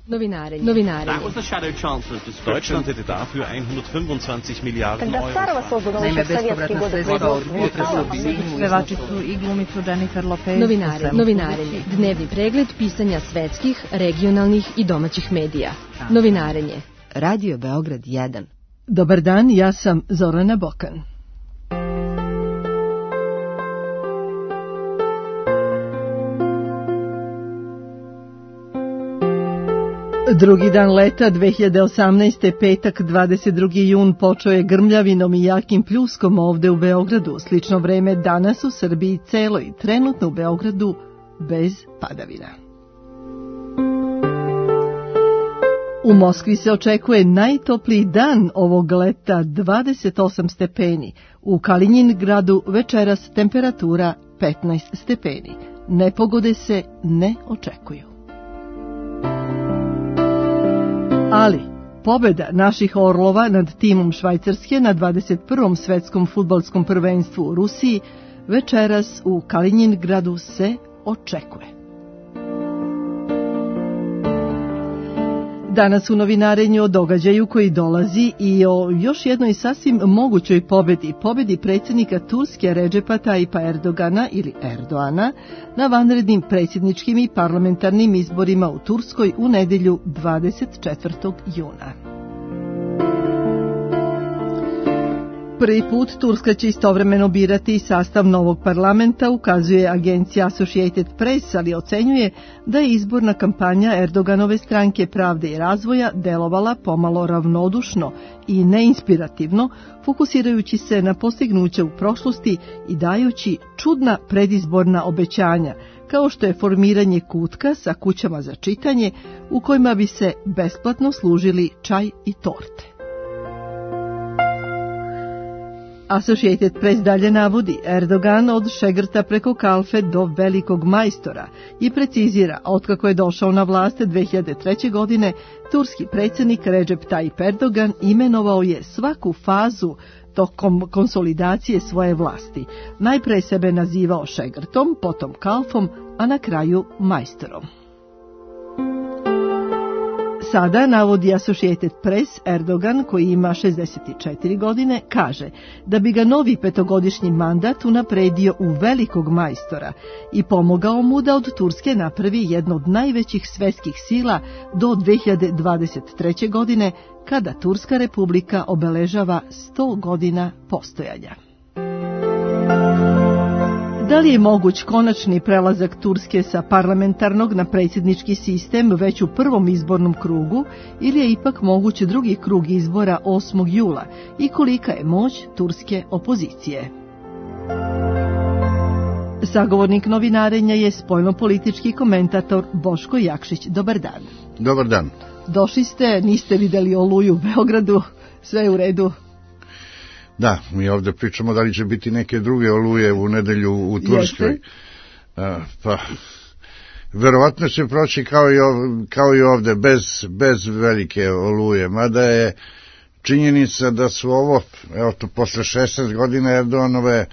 Novinarenje. Deutschland hätte dafür 125 Miliarden Euro. Naime, bespovratna sredstva od pevačicu i glumicu Jennifer Lopez. Novinarenje. Dnevni pregled pisanja svetskih, regionalnih i domaćih medija. Novinarenje. Radio Beograd 1. Dobar dan, ja sam Zorana Bokan. Drugi dan leta 2018. petak 22. jun počeo je grmljavinom i jakim pljuskom ovde u Beogradu. Slično vreme danas u Srbiji celoj, trenutno u Beogradu bez padavina. U Moskvi se očekuje najtopliji dan ovog leta, 28 stepeni. U Kalinjingradu večeras temperatura 15 stepeni. Nepogode se ne očekuju. Ali, pobjeda naših orlova nad timom Švajcarske na 21. svetskom fudbalskom prvenstvu u Rusiji večeras u Kalinjingradu se očekuje. Danas u novinarenju o događaju koji dolazi i o još jednoj sasvim mogućoj pobjedi predsjednika Turske Redžepa Tajipa Erdogana ili Erdoana na vanrednim predsjedničkim i parlamentarnim izborima u Turskoj u nedjelju 24. juna. Prvi put Turska će istovremeno birati i sastav novog parlamenta, ukazuje agencija Associated Press, ali ocenjuje da je izborna kampanja Erdoganove stranke Pravde i razvoja delovala pomalo ravnodušno i neinspirativno, fokusirajući se na postignuće u prošlosti i dajući čudna predizborna obećanja, kao što je formiranje kutka sa kućama za čitanje u kojima bi se besplatno služili čaj i torte. Associated Press dalje navodi, Erdogan od šegrta preko kalfe do velikog majstora i precizira, otkako je došao na vlast 2003. godine, turski predsjednik Recep Tayyip Erdogan imenovao je svaku fazu tokom konsolidacije svoje vlasti. Najpre sebe nazivao šegrtom, potom kalfom, a na kraju majstorom. Sada, navodi Associated Press, Erdogan, koji ima 64 godine, kaže da bi ga novi petogodišnji mandat unapredio u velikog majstora i pomogao mu da od Turske napravi jedno od najvećih svetskih sila do 2023. godine, kada Turska republika obeležava 100 godina postojanja. Da li je moguć konačni prelazak Turske sa parlamentarnog na predsjednički sistem već u prvom izbornom krugu ili je ipak moguć drugi krug izbora 8. jula i kolika je moć turske opozicije? Sagovornik novinarenja je spoljnopolitički komentator Boško Jakšić. Dobar dan. Dobar dan. Došli ste, niste vidjeli Oluju u Beogradu, sve je u redu? Da, mi ovdje pričamo da li će biti neke druge oluje u nedelju u Turskoj. Pa, verovatno će proći kao i ovdje, bez velike oluje, mada je činjenica da su ovo, evo to posle 16 godina Erdoganove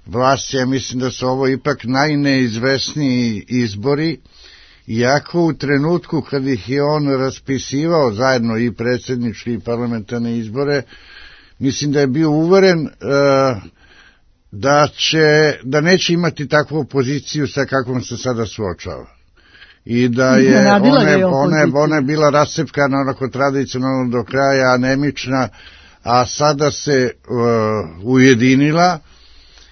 vlasti, ja mislim da su ovo ipak najneizvesniji izbori, iako u trenutku kad ih je on raspisivao zajedno i predsjednički i parlamentarne izbore, mislim da je bio uveren da neće imati takvu opoziciju sa kakvom se sada suočava. I da je ona je bila rascepkana onako tradicionalno do kraja, anemična, a sada se ujedinila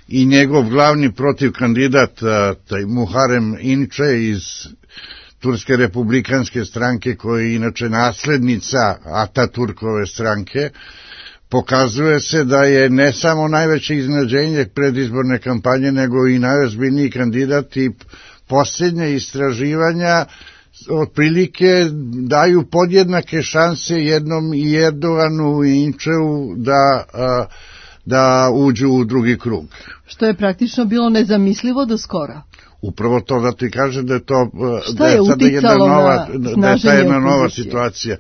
i njegov glavni protivkandidat, taj Muharrem Ince iz Turske republikanske stranke, koja je inače naslednica Ataturkove stranke, pokazuje se da je ne samo najveće iznenađenje predizborne kampanje, nego i najozbiljniji kandidat i posljednje istraživanja otprilike daju podjednake šanse jednom i Erdoganu i Inceu da uđu u drugi krug. Što je praktično bilo nezamislivo do skora. Upravo to da ti kaže da je to da je sada jedna nova situacija.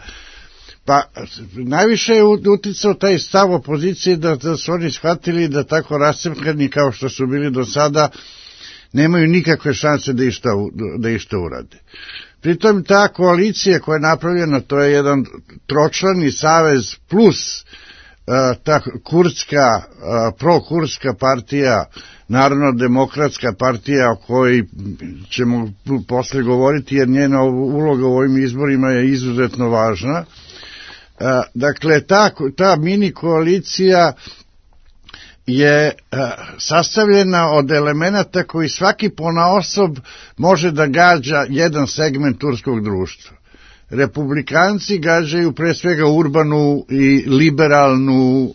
Pa, najviše je uticao taj stav opozicije da su oni shvatili da tako rascepkani kao što su bili do sada nemaju nikakve šanse da išta urade. Pritom ta koalicija koja je napravljena, to je jedan tročlani savez plus ta kurdska, prokurska partija, Narodno-demokratska partija o kojoj ćemo posle govoriti, jer njena uloga u ovim izborima je izuzetno važna. Dakle, ta mini koalicija je sastavljena od elemenata koji svaki ponaosob može da gađa jedan segment turskog društva. Republikanci gađaju pre svega urbanu i liberalnu,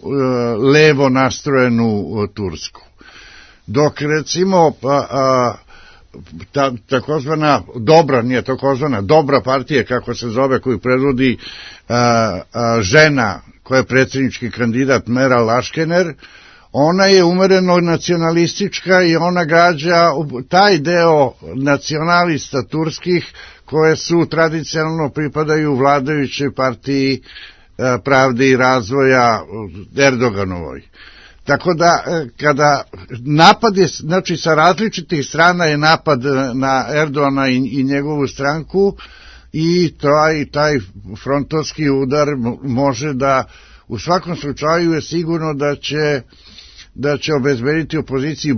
levo nastrojenu Tursku. Dok recimo takozvana dobra partija, kako se zove, koju predvodi žena koja je predsjednički kandidat Meral Akšener, ona je umereno nacionalistička i ona gađa taj deo nacionalista turskih koje su tradicionalno pripadaju vladajućoj partiji Pravde i razvoja Erdoganovoj. Tako da, kada napad je, znači sa različitih strana je napad na Erdogana i njegovu stranku, i taj frontovski udar može da, u svakom slučaju je sigurno da će obezbediti opoziciji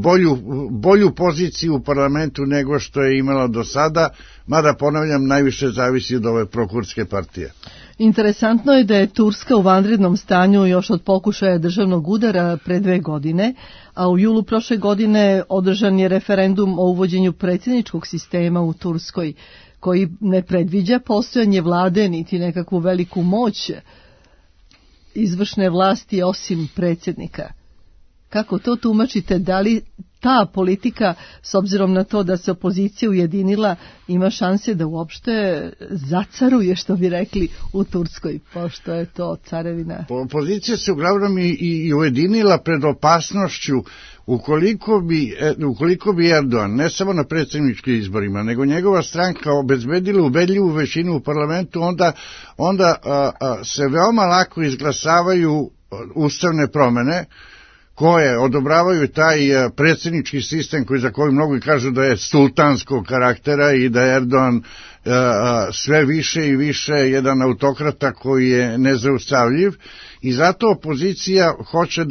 bolju poziciju u parlamentu nego što je imala do sada, mada ponavljam, najviše zavisi od ove prokurdske partije. Interesantno je da je Turska u vanrednom stanju još od pokušaja državnog udara pre 2 godine, a u julu prošle godine održan je referendum o uvođenju predsjedničkog sistema u Turskoj, koji ne predviđa postojanje vlade niti nekakvu veliku moć izvršne vlasti osim predsjednika. Kako to tumačite? Da li ta politika, s obzirom na to da se opozicija ujedinila, ima šanse da uopšte zacaruje, što bi rekli, u Turskoj, pošto je to carevina? Opozicija se uglavnom i ujedinila pred opasnošću ukoliko bi Erdogan, ne samo na predsjedničkim izborima, nego njegova stranka obezbedila ubedljivu većinu u parlamentu, onda se veoma lako izglasavaju ustavne promene koje odobravaju taj predsjednički sistem za koji mnogi kažu da je sultanskog karaktera i da je Erdogan sve više i više jedan autokrata koji je nezaustavljiv, i zato opozicija hoće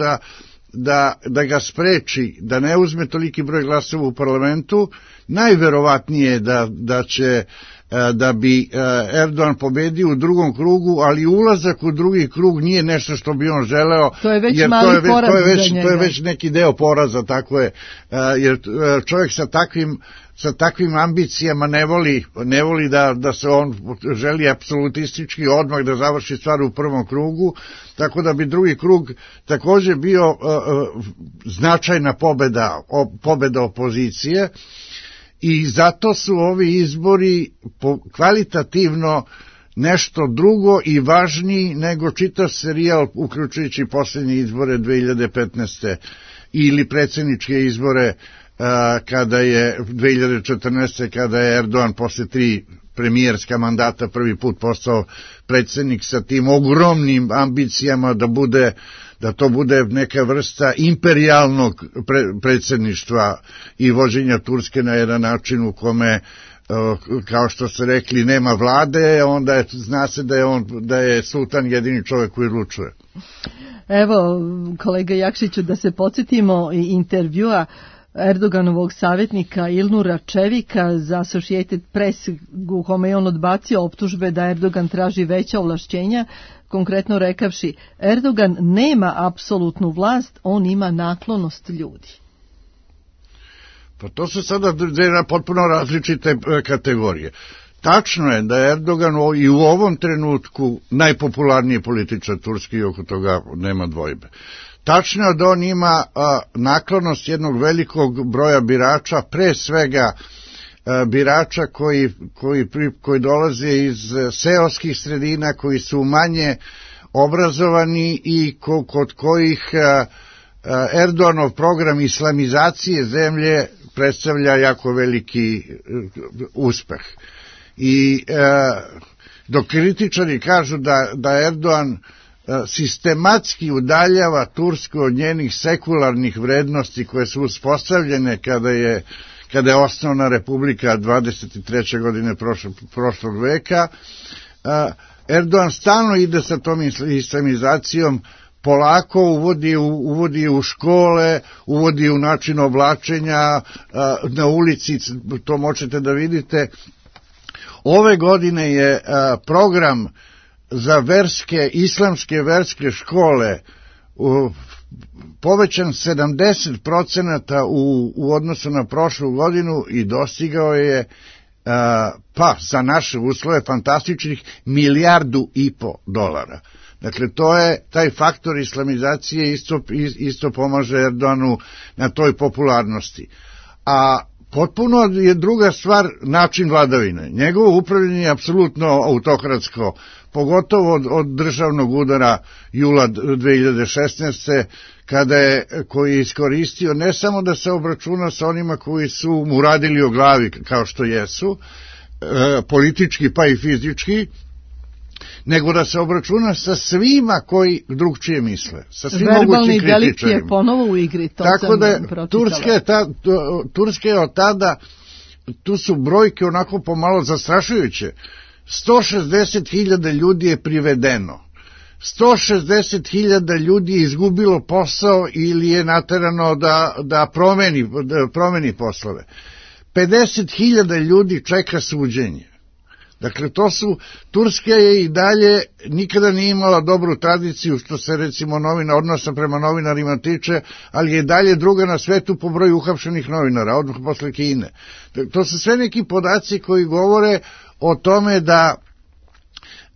da ga spreči, da ne uzme toliki broj glasova u parlamentu. Najverovatnije da bi Erdogan pobedio u drugom krugu, ali ulazak u drugi krug nije nešto što bi on želeo. To je već mali poraz za njega. To je već neki deo poraza, tako je, jer čovjek sa takvim ambicijama ne voli da se on želi apsolutistički odmah da završi stvar u prvom krugu, tako da bi drugi krug također bio značajna pobeda opozicije. I zato su ovi izbori kvalitativno nešto drugo i važniji nego čitav serijal, uključujući posljednje izbore 2015. ili predsjedničke izbore kada je 2014. kada je Erdogan posle 3 premijerska mandata prvi put postao predsjednik sa tim ogromnim ambicijama da to bude neka vrsta imperijalnog predsjedništva i vođenja Turske na jedan način u kome, kao što ste rekli, nema vlade, onda zna se da je sultan jedini čovjek koji odlučuje. Evo, kolega Jakšiću, da se podsjetimo i intervjua Erdoganovog savjetnika Ilnura Čevika za Associated Press, u kome je on odbacio optužbe da Erdogan traži veća ovlašćenja, konkretno rekavši: Erdogan nema apsolutnu vlast, on ima naklonost ljudi. Pa to su sada potpuno različite kategorije. Tačno je da je Erdogan i u ovom trenutku najpopularniji političar turski, oko toga nema dvojbe. Tačno je da on ima naklonost jednog velikog broja birača, pre svega birača koji dolaze iz seoskih sredina, koji su manje obrazovani i kod kojih Erdoganov program islamizacije zemlje predstavlja jako veliki uspeh. I dok kritičari kažu da Erdogan sistematski udaljava Tursku od njenih sekularnih vrednosti koje su uspostavljene kada je osnovna republika 23. godine prošlog veka. Erdogan stalno ide sa tom islamizacijom, polako uvodi u škole, uvodi u način oblačenja, na ulici, to možete da vidite. Ove godine je program za islamske verske škole povećan 70% u odnosu na prošlu godinu i dostigao je za naše uslove fantastičnih $1,5 milijardi. Dakle, to je taj faktor islamizacije isto pomaže Erdoganu na toj popularnosti. A potpuno je druga stvar način vladavine. Njegovo upravljanje je apsolutno autokratsko, pogotovo od državnog udara jula 2016. koji je iskoristio ne samo da se obračuna sa onima koji su mu radili o glavi kao što jesu, politički pa i fizički, nego da se obračuna sa svima koji drugčije misle, sa svim mogućim kritičarima. Verbalni delikt je ponovo u igri, to tako sam da pročitala. Turska je od tada, tu su brojke onako pomalo zastrašujuće. 160.000 ljudi je privedeno. 160.000 ljudi je izgubilo posao ili je naterano da promeni poslove. 50.000 ljudi čeka suđenje. Dakle, Turska je i dalje nikada nije imala dobru tradiciju što se recimo odnosa prema novinarima tiče, ali je i dalje druga na svetu po broju uhapšenih novinara, odmah posle Kine. To su sve neki podaci koji govore o tome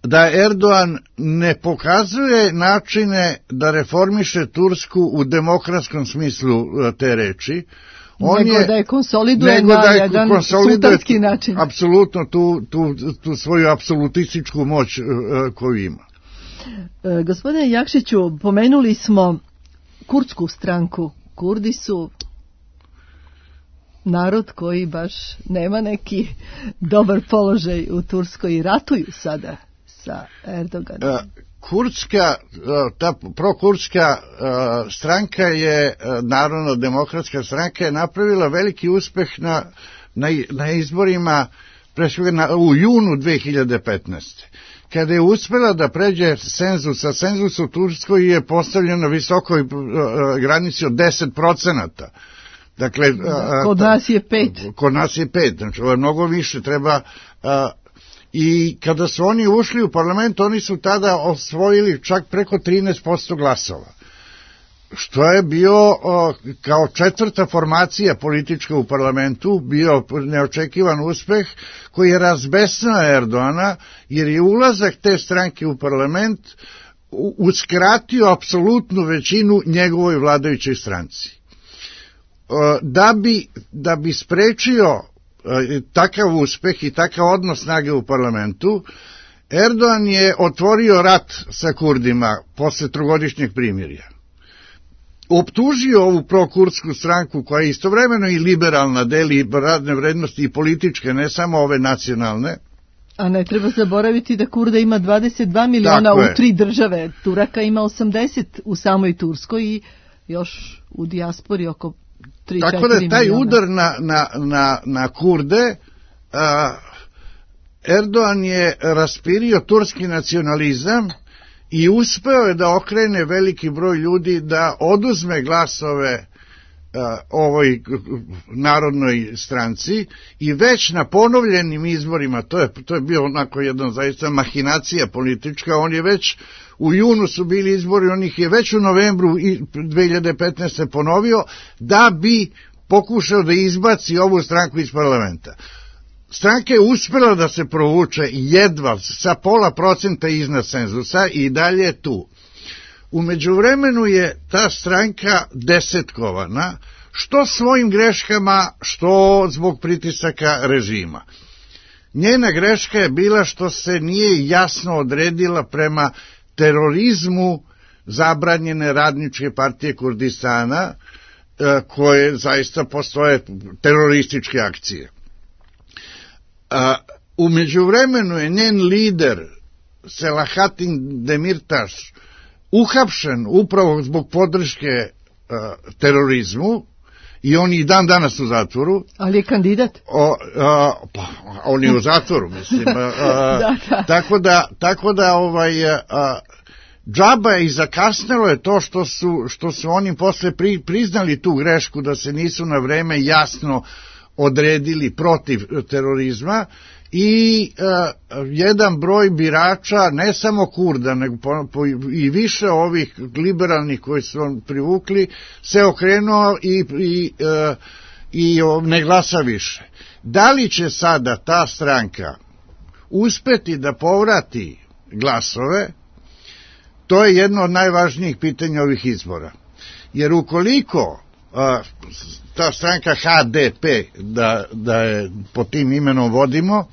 da Erdogan ne pokazuje načine da reformiše Tursku u demokratskom smislu te reči, nego da je konsoliduje na jedan sultanski način. Apsolutno tu svoju apsolutističku moć koju ima. Gospodine Jakšiću, pomenuli smo kurdsku stranku. Kurdi su narod koji baš nema neki dobar položaj u Turskoj i ratuju sada sa Erdoganom. Ta prokurdska stranka je, Narodna demokratska stranka, je napravila veliki uspeh na izborima u junu 2015. Kada je uspela da pređe cenzus, a cenzus u Turskoj je postavljen na visokoj granici od 10%. Dakle, kod nas je 5. Kod nas je 5, znači ovo je mnogo više, treba... I kada su oni ušli u parlament, oni su tada osvojili čak preko 13% glasova. Što je bio kao četvrta formacija politička u parlamentu, bio neočekivan uspeh koji je razbesnao Erdogana, jer je ulazak te stranke u parlament uskratio apsolutnu većinu njegovoj vladajućoj stranci. Da bi sprečio takav uspeh i takav odnos snage u parlamentu, Erdogan je otvorio rat sa Kurdima posle trogodišnjeg primirja. Optužio ovu prokurdsku stranku koja je istovremeno i liberalna, deli radne vrednosti i političke, ne samo ove nacionalne. A ne treba zaboraviti da Kurda ima 22 miliona u 3 države. Turaka ima 80 u samoj Turskoj i još u dijaspori oko 3-4 miliona. Tako da taj udar na Kurde, Erdogan je raspirio turski nacionalizam i uspeo je da okrene veliki broj ljudi da oduzme glasove ovoj narodnoj stranci i već na ponovljenim izborima, to je bio onako jedna zaista mahinacija politička, on je već u junu su bili izbori, on ih je već u novembru 2015. ponovio da bi pokušao da izbaci ovu stranku iz parlamenta. Stranka je uspela da se provuče jedva sa 0,5% iznad cenzusa i dalje tu. U međuvremenu je ta stranka desetkovana, što svojim greškama, što zbog pritisaka režima. Njena greška je bila što se nije jasno odredila prema terorizmu zabranjene radničke partije Kurdistana, koje zaista postoje terorističke akcije. U međuvremenu je njen lider Selahattin Demirtaš uhapšen upravo zbog podrške terorizmu i on i dan danas u zatvoru. Ali je kandidat? Pa, on je u zatvoru, mislim. Tako da džaba i zakasnelo je to što su oni posle priznali tu grešku da se nisu na vreme jasno odredili protiv terorizma i jedan broj birača, ne samo Kurda, nego i više ovih liberalnih koji su privukli, se okrenuo i ne glasa više. Da li će sada ta stranka uspeti da povrati glasove? To je jedno od najvažnijih pitanja ovih izbora. Jer ukoliko ta stranka HDP, da je pod tim imenom vodimo,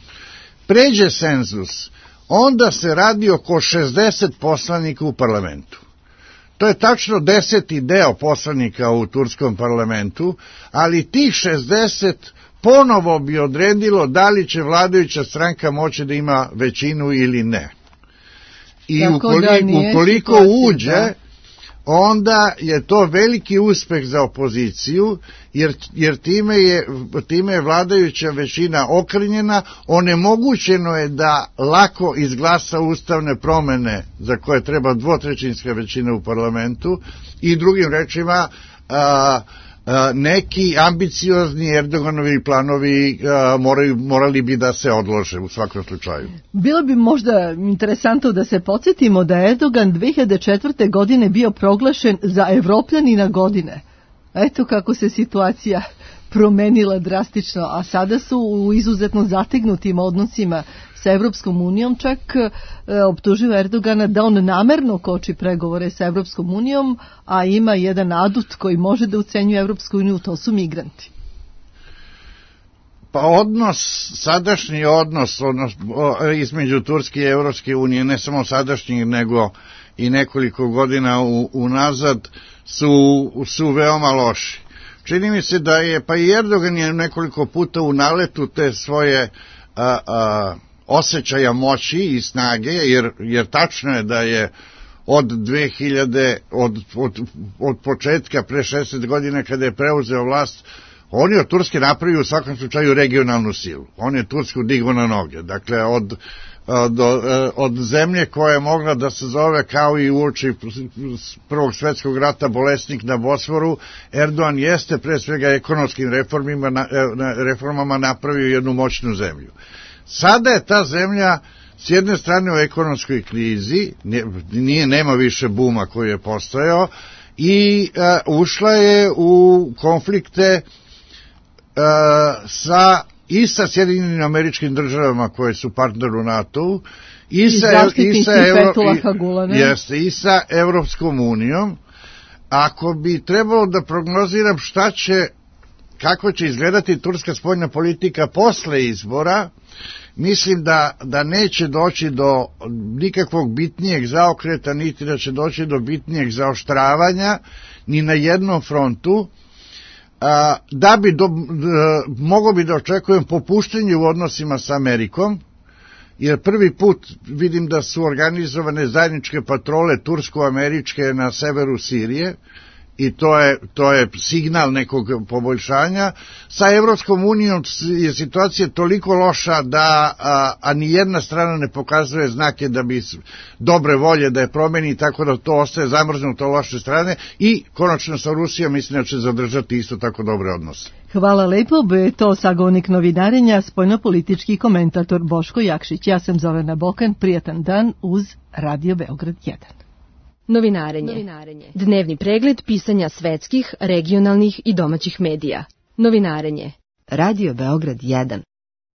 pređe cenzus, onda se radi oko 60 poslanika u parlamentu. To je tačno 10. deo poslanika u turskom parlamentu, ali tih 60 ponovo bi odredilo da li će vladajuća stranka moći da ima većinu ili ne. I ukoliko uđe, onda je to veliki uspeh za opoziciju, jer time je vladajuća većina okrnjena, onemogućeno je da lako izglasa ustavne promene za koje treba dvotrećinska većina u parlamentu i drugim rečima neki ambiciozni Erdoganovi planovi morali bi da se odlože u svakom slučaju. Bilo bi možda interesantno da se podsjetimo da je Erdogan 2004. godine bio proglašen za Evropljanina godine. Eto kako se situacija promenila drastično, a sada su u izuzetno zategnutim odnosima sa Evropskom unijom, čak optužio Erdogana da on namerno koči pregovore sa Evropskom unijom, a ima jedan adut koji može da ucenjuje Evropsku uniju, to su migranti. Pa sadašnji odnos između Turske i Evropske unije, ne samo sadašnji, nego i nekoliko godina unazad, su veoma loši. Čini mi se da je, pa i Erdogan je nekoliko puta u naletu te svoje osjećaja moći i snage, jer tačno je da je od 2000, od početka pre 60 godina kada je preuzeo vlast, on je od Turske napravio u svakom slučaju regionalnu silu. On je Tursku digao na noge. Dakle, od zemlje koja je mogla da se zove kao i uoči Prvog svjetskog rata bolesnik na Bosforu, Erdogan jeste pre svega ekonomskim reformama napravio jednu moćnu zemlju. Sada je ta zemlja s jedne strane u ekonomskoj krizi, nema više buma koji je postojao, i ušla je u konflikte sa Sjedinjenim Američkim Državama koje su partner u NATO-u i sa Evropskom unijom. Ako bi trebalo da prognoziram kako će izgledati turska spoljna politika posle izbora, mislim da neće doći do nikakvog bitnijeg zaokreta, niti da će doći do bitnijeg zaoštravanja ni na jednom frontu. Mogo bi da očekujem popuštenje u odnosima sa Amerikom, jer prvi put vidim da su organizovane zajedničke patrole tursko-američke na severu Sirije, i to je signal nekog poboljšanja. Sa Evropskom unijom je situacija toliko loša a ni jedna strana ne pokazuje znake da bi dobre volje da je promeni, tako da to ostaje zamrznuto loše strane, i konačno sa Rusijom mislim da će zadržati isto tako dobre odnose. Hvala lepo, to sagovornik novinarenja, spoljnopolitički komentator Boško Jakšić. Ja sam Zorana Bokan, prijatan dan uz Radio Beograd 1. Novinarenje. Dnevni pregled pisanja svetskih, regionalnih i domaćih medija. Novinarenje. Radio Beograd 1.